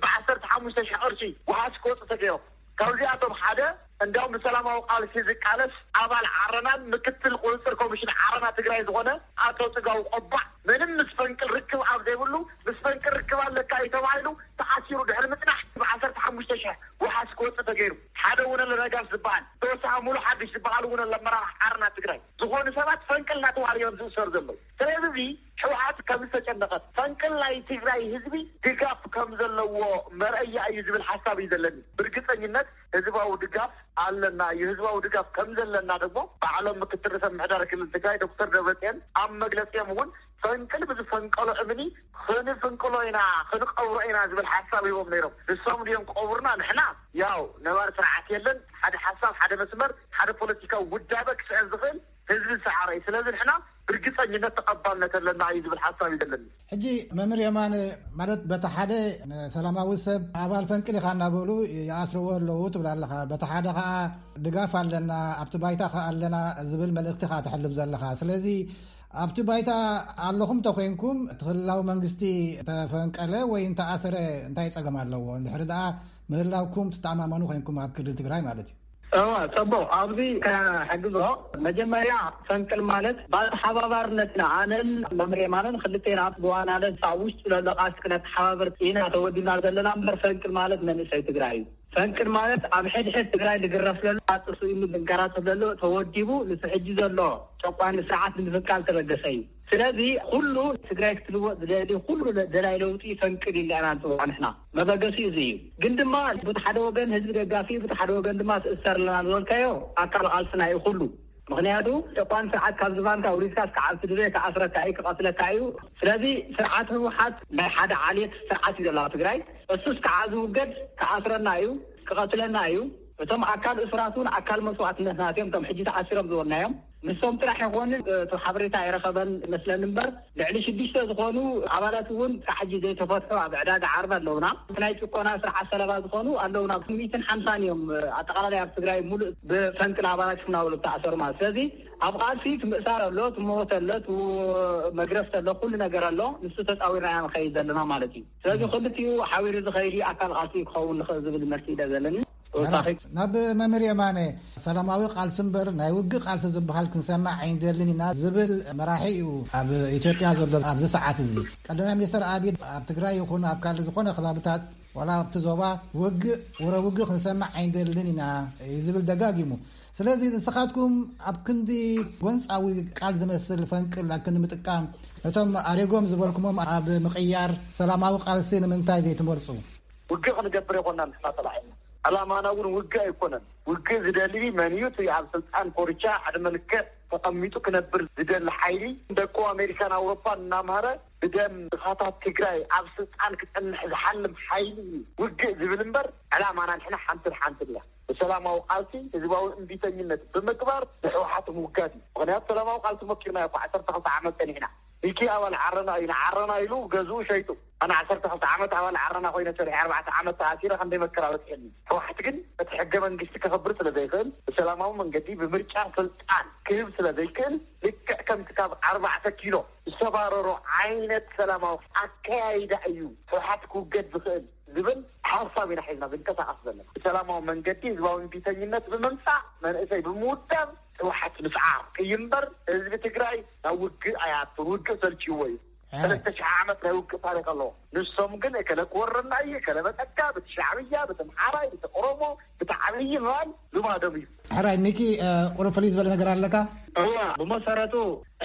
ብዓሰርተ ሓሙሽተ ሺሕ ቅርሺ ዋስ ክወፁ ተገይሮም። ካብዚኣቶም ሓደ እንዲያውም ብሰላማዊ ቃልሲ ዝቃለስ ኣባል ዓረናን ምክትል ቁፅፅር ኮሚሽን ዓረና ትግራይ ዝኾነ ኣቶ ፅጋቡ ቆባዕ ምንም ምስ ፈንቅል ርክብ ኣብ ዘይብሉ ምስ ፈንቅል ርክብ ኣለካ እዩ ተባሂሉ ተኣሲሩ ድሕሪ ምፅናሕ ብዓሰርተ ሓሙሽተ ሺሕ ዋስ ክወፅእ ተገይሩ። ሓደ ውነለ ነጋሽ ዝበሃል ተወሳኺ ሙሉ ሓድሽ ዝበሃል እውን ኣሎ ኣመራርሓ ዓረና ትግራይ ዝኾኑ ሰባት ፈንቅል እናተባህሉ እዮም ዝእሰሩ ዘለዉ። ስለዚ እዚ ህወሓት ከም ዝተጨነቐት ፈንቅል ናይ ትግራይ ህዝቢ ድጋፍ ከም ዘለዎ መርኣያ እዩ ዝብል ሓሳብ እዩ ዘለኒ። ብርግፀኝነት ህዝባዊ ድጋፍ ኣለና እዩ። ህዝባዊ ድጋፍ ከም ዘለና ደግሞ ባዕሎም ምክትል ርእሰ ምምሕዳር ክልል ትግራይ ዶክተር ደብረፅዮን ኣብ መግለፂኦም እውን ፈንቅል ብዝፈንቀሎ እምኒ ክንፍንቅሎ ኢና ክንቀብሮ ኢና ዝብል ሓሳብ ሂቦም ነይሮም። ንሶም ድዮም ቀብሩና? ንሕና ያው ነባር ስርዓት የለን፣ ሓደ ሓሳብ፣ ሓደ መስመር፣ ሓደ ፖለቲካዊ ውዳበ ክስዕብ ዝኽእል ህዝቢ ዝሰዓረ እዩ። ስለዚ ንሕና ብርግፀኝነት ተቐባልነት ኣለና እዩ ዝብል ሓሳብ እዩ ዘለኒ። ሕጂ መምህር የማነ፣ ማለት በቲ ሓደ ንሰላማዊ ሰብ ኣባል ፈንቅል ኢኻ እናበሉ ይኣስርዎ ኣለዉ ትብል ኣለኻ፣ በቲ ሓደ ከዓ ድጋፍ ኣለና ኣብቲ ባይታ ከዓ ኣለና ዝብል መልእኽቲ ከዓ ተሕልፍ ዘለኻ። ስለዚ ኣብቲ ባይታ ኣለኹም ተኮይንኩም እቲ ክልላዊ መንግስቲ ተፈንቀለ ወይ እንተኣሰረ እንታይ ጸገም ኣለዎ? እንድሕሪ ደኣ ምህላውኩም ትተኣማመኑ ኮይንኩም ኣብ ክልል ትግራይ ማለት እዩ። እወ፣ ጽቡቕ። ኣብዚ ከሕግዞ፣ መጀመርያ ፈንቅል ማለት ብኣተሓባባርነትና ኣነን መምህር የማነን ክልቴና ብዋናነት ኣብ ውሽጢ ዘሎ ቃልሲ ክነተሓባብር ኢና ተወዲብና ዘለና እምበር ፈንቅል ማለት መንእሰይ ትግራይ እዩ። ፈንቅል ማለት ኣብ ሕድሕድ ትግራይ ዝግረፍ ዘሎ፣ ኣጥሱ ኢሉ ዝንከራተት ዘሎ ተወዲቡ፣ ንሱ ሕጂ ዘሎ ጨቋኒ ስርዓት ንምፍንቃል ተበገሰ እዩ። ስለዚ ኩሉ ትግራይ ክትልወጥ ዝደሊ ኩሉ ደላይ ለውጢ ፈንቅል ኢልና ኢና ንፅውዖ ንሕና። መበገሲኡ እዚ እዩ። ግን ድማ በቲ ሓደ ወገን ህዝቢ ደጋፊ፣ በቲ ሓደ ወገን ድማ ትእሰር ኣለና ዝበልካዮ ኣካል ቃልስና እዩ ኩሉ። ምኽንያቱ ጨቋኒ ስርዓት ካብ ዝባንካ ውሪድካ እስከ ዓብቲ ድበ ክኣስረካ እዩ፣ ክቐትለካ እዩ። ስለዚ ስርዓት ህወሓት ናይ ሓደ ዓሌት ስርዓት እዩ ዘሎ ኣብ ትግራይ። እሱ እስከ ዝውገድ ክኣስረና እዩ፣ ክቐትለና እዩ። እቶም ኣካል እሱራት እውን ኣካል መስዋእትነትና እዮም፣ እቶም ሕጂ ተኣሲሮም ዝበልናዮም። ንሶም ጥራሕ ይኾኑ፣ እቲ ሓበሬታ ኣይረኸበን ይመስለኒ እምበር፣ ልዕሊ ሽዱሽተ ዝኾኑ ኣባላት እውን ክሳዕ ሕጂ ዘይተፈትሑ ኣብ ዕዳጋ ዓርቢ ኣለውና። እቲ ናይ ጭቆና ስርዓት ሰለባ ዝኾኑ ኣለውና። ሚእትን ሓምሳን እዮም ኣጠቓላላይ ኣብ ትግራይ ሙሉእ ብፈንቅል ኣባላት ክናበሉ ዝተኣሰሩ ማለት። ስለዚ ኣብ ቃልሲ እቲ ምእሳር ኣሎ፣ እቲ ሞት ኣሎ፣ እቲ መግረፍቲ ኣሎ፣ ኩሉ ነገር ኣሎ። ንሱ ተፃዊርና ኢና ንኸይድ ዘለና ማለት እዩ። ስለዚ ክልቲኡ ሓቢሩ ዝኸይድ እዩ ኣካል ቃልሲ ክኸውን ንኽእል ዝብል መልሲ ኢለ ዘለኒ። ተወሳኺ ናብ መምህር የማነ፣ ሰላማዊ ቃልሲ እምበር ናይ ውግእ ቃልሲ ዝበሃል ክንሰማዕ ኣይንደልን ኢና ዝብል መራሒ እዩ ኣብ ኢትዮጵያ ዘሎ ኣብዚ ሰዓት እዚ። ቀዳማይ ሚኒስትር ኣብይ ኣብ ትግራይ ይኹን ኣብ ካልእ ዝኾነ ከባብታት ዋላ ኣብቲ ዞባ ውግእ፣ ወረ ውግእ ክንሰማዕ ኣይንደልን ኢና እዩ ዝብል ደጋጊሙ። ስለዚ ንስኻትኩም ኣብ ክንዲ ጎንጻዊ ቃል ዝመስል ፈንቅል ኣብ ክንዲ ምጥቃም፣ ነቶም ኣሪጎም ዝበልኩሞም ኣብ ምቕያር ሰላማዊ ቃልሲ ንምንታይ ዘይትመርጹ? ውግእ ክንገብር የኮና ንሕና ተላዒልና። ዕላማና እውን ውግእ ኣይኮነን። ውግእ ዝደሊ መን እዩ? እቲ ኣብ ስልጣን ኮርቻ ዕድመ ልክዕ ተቐሚጡ ክነብር ዝደሊ ሓይሊ፣ ደቁ ኣሜሪካን ኣውሮፓን እናምሃረ ብደም ድኻታት ትግራይ ኣብ ስልጣን ክጸንሕ ዝሓልም ሓይሊ እዩ ውግእ ዝብል እምበር፣ ዕላማና ንሕና ሓንትን ሓንትን እያ። ብሰላማዊ ቃልሲ ህዝባዊ እምቢተኝነት ብምግባር ንሕወሓት ምውጋድ እዩ። ምኽንያቱ ሰላማዊ ቃልሲ መኪርና እኮ ዓሰርተ ክልተ ዓመት ጸኒሕና። ሚኪ ኣባል ዓረና እዩ፣ ንዓረና ኢሉ ገዝኡ ሸይጡ። ኣነ ዓሰርተ ክልተ ዓመት ኣባል ዓረና ኮይነ ሰሪሐ ኣርባዕተ ዓመት ተኣሲረ፣ ክንደይ መከራ በፂሐኒ። ህወሓት ግን እቲ ሕገ መንግስቲ ከኽብር ስለ ዘይኽእል፣ ብሰላማዊ መንገዲ ብምርጫ ስልጣን ክህብ ስለ ዘይክእል፣ ልክዕ ከምቲ ካብ ኣርባዕተ ኪሎ ዝተባረሮ ዓይነት ሰላማዊ ኣከያይዳ እዩ ህወሓት ክውገድ ዝኽእል ዝብል ሓሳብ ኢና ሒዝና ዝንቀሳቐስ ዘለና። ብሰላማዊ መንገዲ ህዝባዊ እምቢተኝነት ብምምፃእ፣ መንእሰይ ብምውዳብ ህወሓት ምስዓር እዩ እምበር፣ ህዝቢ ትግራይ ናብ ውግእ ኣይኣቱን። ውግእ ሰልችዎ እዩ። ሰለስተ ሽሕ ዓመት ናይ ውግእ ታሪክ ኣለዎ። ንሶም ግን እከለ ክወረና እዩ፣ እከለ መጠካ፣ ብቲ ሻዕብያ፣ ብቲ ምሓራይ፣ ብቲ ኦሮሞ፣ ብቲ ዓብዪ ምባል ልማዶም እዩ። ሕራይ ሚኪ፣ ቁሩብ ፍልይ ዝበለ ነገር ኣለካ? እዋ፣ ብመሰረቱ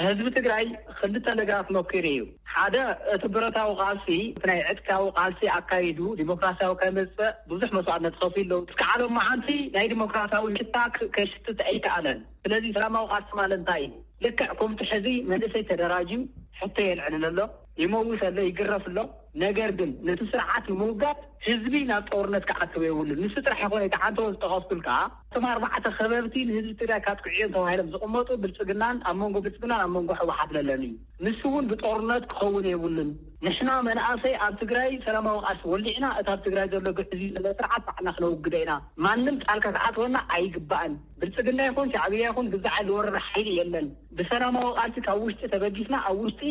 ህዝቢ ትግራይ ክልተ ነገራት መኪሩ እዩ። ሓደ፣ እቲ ብረታዊ ቃልሲ፣ እቲ ናይ ዕጥቃዊ ቃልሲ ኣካይዱ ዲሞክራሲያዊ ከመፅእ ብዙሕ መስዋዕትነት ከፊሉ ኣለዉ። እስከ ዓለም መዓንቲ ናይ ዲሞክራሲያዊ ሽታ ክ-፣ ከሽትት ኣይከኣለን። ስለዚ ሰላማዊ ቃልሲ ማለት እንታይ እዩ? ልክዕ ከምቲ ሕዚ መንእሰይ ተደራጅዩ ሕቶ የልዕል ኣሎ፣ ይመውት ኣሎ፣ ይግረፍ ኣሎ። ነገር ግን ነቲ ስርዓት ንምውጋድ ህዝቢ ናብ ጦርነት ክኣትው የብሉን። ንሱ ጥራሕ ይኮነ፣ እቲ ሓንቲ ዝጠቐስኩልካ፣ እቶም ኣርባዕተ ከበብቲ ንህዝቢ ትግራይ ካጥቅዑ እዮም ተባሂሎም ዝቕመጡ ብልፅግናን ኣብ መንጎ ብልፅግናን ኣብ መንጎ ህወሓት ዘለኒ እዩ። ንሱ እውን ብጦርነት ክኸውን የብሉን። ንሕና መናእሰይ ኣብ ትግራይ ሰላማዊ ቃልሲ ወሊዕና፣ እቲ ኣብ ትግራይ ዘሎ ግዕዝዩ ዘሎ ስርዓት ባዕልና ክነውግዶ ኢና። ማንም ጣልካ ክኣትወና ኣይግባእን። ብልፅግና ይኹን ሻዕብያ ይኹን ግዛዕ ዝወረረ ሓይሊ የለን። ብሰላማዊ ቃልሲ ካብ ውሽጢ ተበጊስና ኣብ ውሽጢ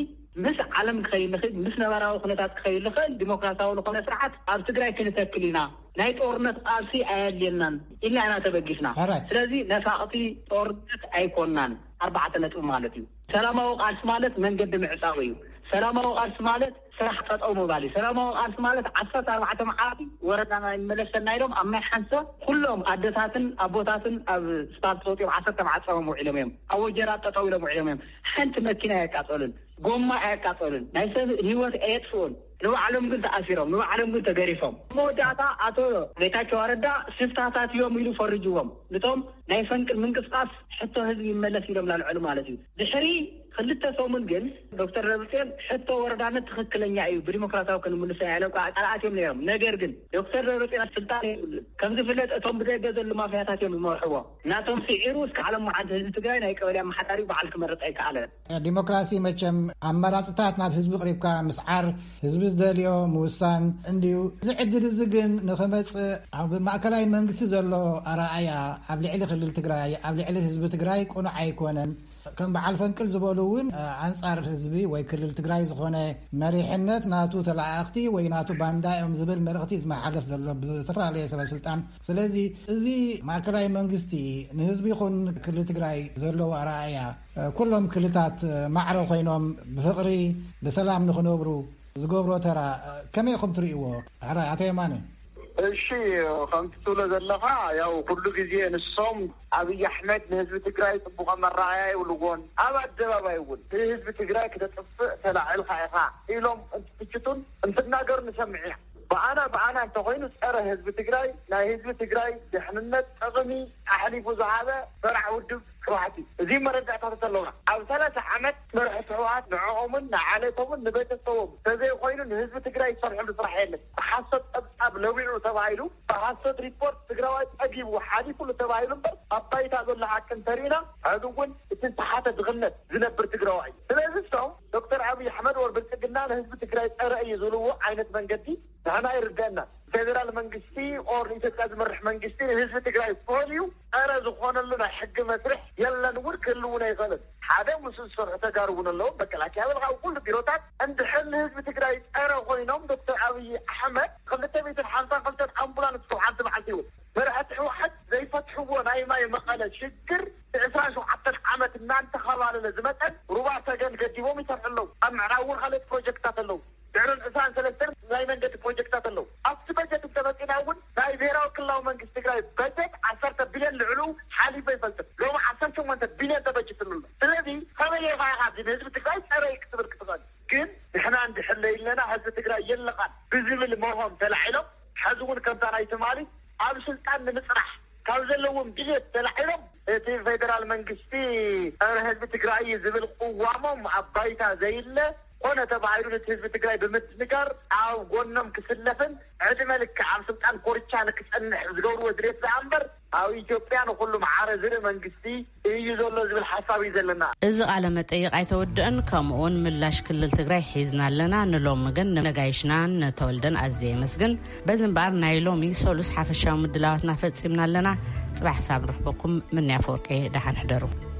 ምስ ዓለም ክኸይድ ንኽእል፣ ምስ ነባራዊ ኩነታት ክኸይድ ንኽእል ዲሞክራሲያዊ ዝኾነ ስርዓት ኣብ ትግራይ ክንተክል ኢና። ናይ ጦርነት ቃልሲ ኣየድልየናን ኢልና ኢና ተበጊስና። ሕራይ። ስለዚ ነፋቕቲ ጦርነት ኣይኮናን። ኣርባዕተ ነጥቢ ማለት እዩ። ሰላማዊ ቃልሲ ማለት መንገዲ ምዕጻው እዩ። ሰላማዊ ቃልሲ ማለት ስራሕ ጠጠው ምባል እዩ። ሰላማዊ ቃልሲ ማለት ዓሰርተ ኣርባዕተ መዓልቲ ወረዳና ይመለሰና ኢሎም ኣብ ማይ ሓንሰ ኩሎም ኣደታትን ኣቦታትን ኣብ ስፓልት ወፂኦም ዓሰርተ መዓልቲ ጾሞም ውዒሎም እዮም። ኣብ ወጀራት ጠጠው ኢሎም ውዒሎም እዮም። ሓንቲ መኪና ኣየቃጸሉን፣ ጎማ ኣየቃጸሉን፣ ናይ ሰብ ህይወት ኣየጥፍኡን። ንባዕሎም ግን ተኣሲሮም፣ ንባዕሎም ግን ተገሪፎም። መወዳእታ ኣቶ ጌታቸው ረዳ ስፍታታት እዮም ኢሉ ፈርጅዎም። ነቶም ናይ ፈንቅል ምንቅስቃስ ሕቶ ህዝቢ ይመለስ ኢሎም ላልዐሉ ማለት እዩ። ድሕሪ ክልተ ሰሙን ግን ዶክተር ደብረጽዮን ሕቶ ወረዳነት ትኽክለኛ እዩ፣ ብዲሞክራሲያዊ ክንምልሶ ኢና ኢሎም ቃል ኣትዮም ነይሮም። ነገር ግን ዶክተር ደብረጽዮን ስልጣን የብሉን። ከም ዝፍለጥ እቶም ብደገ ዘለዉ ማፍያታት እዮም ዝመርሕዎ። ናቶም ስዒሩ እስከ ዓለም መዓልቲ ህዝቢ ትግራይ ናይ ቀበሌ ኣመሓዳሪ በዓል ክመርፅ ኣይከኣለን። ዲሞክራሲ መቸም ኣመራፅታት ናብ ህዝቢ ቅሪብካ ምስዓር፣ ህዝቢ ዝደልዮ ምውሳን እንድዩ። እዚ ዕድል እዚ ግን ንኽመፅእ ኣብ ማእከላይ መንግስቲ ዘሎ ኣረኣእያ ኣብ ልዕሊ ክልል ትግራይ፣ ኣብ ልዕሊ ህዝቢ ትግራይ ቅኑዕ ኣይኮነን። ከም በዓል ፈንቅል ዝበሉ እውን፣ እ፣ ኣንጻር ህዝቢ ወይ ክልል ትግራይ ዝኾነ መሪሕነት ናቱ ተለኣኣኽቲ ወይ ናቱ ባንዳ እዮም ዝብል መልእኽቲ ዝመሓለፍ ዘሎ ብዝተፈላለየ ሰበ ስልጣን። ስለዚ እዚ ማእከላይ መንግስቲ ንህዝቢ ይኹን ክልል ትግራይ ዘለዎ ኣረኣእያ፣ እ፣ ኩሎም ክልታት፣ እ፣ ማዕረ ኮይኖም ብፍቕሪ ብሰላም ንኽነብሩ ዝገብሮ ተራ፣ እ፣ ከመይ ኢኹም ትርእይዎ? ሕራይ ኣቶ የማነ። እሺ፣ ከምቲ ትብሎ ዘለኻ፣ ያው ኩሉ ግዜ ንሶም ኣብይ ኣሕመድ ንህዝቢ ትግራይ ጽቡቕ መረኣያ የብልዎን። ኣብ ኣደባባይ እውን ንህዝቢ ትግራይ ክተጥፍእ ተላዒልካ ኢኻ ኢሎም እንትትችቱን እንትናገሩ ንሰምዕ ኢና። ብኣና ብኣና እንተኾይኑ ጸረ ህዝቢ ትግራይ፣ ናይ ህዝቢ ትግራይ ድሕንነት ጥቕሚ ኣሕሊፉ ዝሃበ ፈራሕ ውድብ ህወሓት እዩ። እዚ መረዳእታታት ኣለውና። ኣብ ሰላሳ ዓመት መራሕቲ ህወሓት ንዕኦምን ንዓለቶምን ንቤተሰቦም ተዘይኮይኑ ንህዝቢ ትግራይ ዝሰርሕሉ ስራሕ የለን። ብሓሶት ጸብጻብ ለዊዑ ተባሂሉ፣ ብሓሶት ሪፖርት ትግራዋይ ጸጊቡ ሓሊፉሉ ተባሂሉ እምበር፣ ኣብ ባይታ ዘሎ ሓቂ እንተሪእና፣ ሕዚ እውን እቲ ዝተሓተ ድኽነት ዝነብር ትግራዋይ እዩ። ስለዚ እሶም ዶክተር ኣብይ ኣሕመድ ወር ብልጽግና ንህዝቢ ትግራይ ጸረ እዩ ዝብልዎ ዓይነት መንገዲ ንሕና ይርደአና። ፌደራል መንግስቲ ኦር ንኢትዮጵያ ዝመርሕ መንግስቲ ንህዝቢ ትግራይ ፈሊዩ ጸረ ዝኾነሉ ናይ ሕጊ መስርሕ የለን፣ እውን ክህልውን ኣይኽእልን። ሓደ ምስኡ ዝሰርሑ ተጋሩ እውን ኣለዉ። መከላከያ በልካ ኣብ ኩሉ ቢሮታት እንድሕር ንህዝቢ ትግራይ ጸረ ኮይኖም ዶክተር ኣብይ ኣሕመድ ክልተ ሚእትን ሓምሳን ክልተን ኣምቡላንስ ካብ ሓንቲ መዓልቲ ይውል መርሐቲ ትዎ ናይ ማይ መቐለ ሽግር ዕስራን ሸውዓተን ዓመት እናንተኸባለለ ዝመጠን ሩባ ሰገን ገዲቦም ይሰርሑ ኣለዉ። ኣብ ምዕራብ እውን ካልኦት ፕሮጀክትታት ኣለዉ። ድሕርን ዕስራን ሰለስተን ናይ መንገዲ ፕሮጀክትታት ኣለዉ። ኣብቲ በጀት እንተመፂና እውን ናይ ብሔራዊ ክልላዊ መንግስቲ ትግራይ በጀት ዓሰርተ ቢልዮን ልዕሉ ሓሊፉ ኣይፈልጥን። ሎሚ ዓሰርተ ሸሞንተ ቢልዮን ተበጅትሉ ኣሎ። ስለዚ ከመይ ኢኻ ኢኻ እዚ ንህዝቢ ትግራይ ፀረይ ክትብል ክትኽእል? ግን ንሕና እንድሕለይ ኣለና ህዝቢ ትግራይ የለኻን ብዝብል መርሆም ተላዒሎም፣ ሕዚ እውን ከምታ ናይ ትማሊ ኣብ ስልጣን ንምፅራሕ ካብ ዘለዎም ድሌት ተላዒሎም፣ እቲ ፌደራል መንግስቲ ጸረ ህዝቢ ትግራይ ዝብል ቅዋሞም ኣብ ባይታ ዘይለ፣ ኮነ ተባሂሉ ነቲ ህዝቢ ትግራይ ብምድንጋር ኣብ ጎኖም ክስለፍን ዕድመ ልክዕ ኣብ ስልጣን ኮርቻ ንክጸንሕ ዝገብርዎ ድሌት ደኣ እምበር፣ ኣብ ኢትዮጵያ ንኹሉ ማዕረ ዝርኢ መንግስቲ እዩ ዘሎ ዝብል ሓሳብ እዩ ዘለና። እዚ ቃለ መጠይቕ ኣይተወድእን፣ ከምኡውን ምላሽ ክልል ትግራይ ሒዝና ኣለና። ንሎሚ ግን ንነጋይሽናን ንተወልደን ኣዝየ የመስግን። በዚ እምበኣር ናይ ሎሚ ሰሉስ ሓፈሻዊ ምድላዋትና ፈጺምና ኣለና። ጽባሕ ሳብ ንረኽበኩም። ምንያ ፈወርቄ፣ ደሓን ሕደሩ።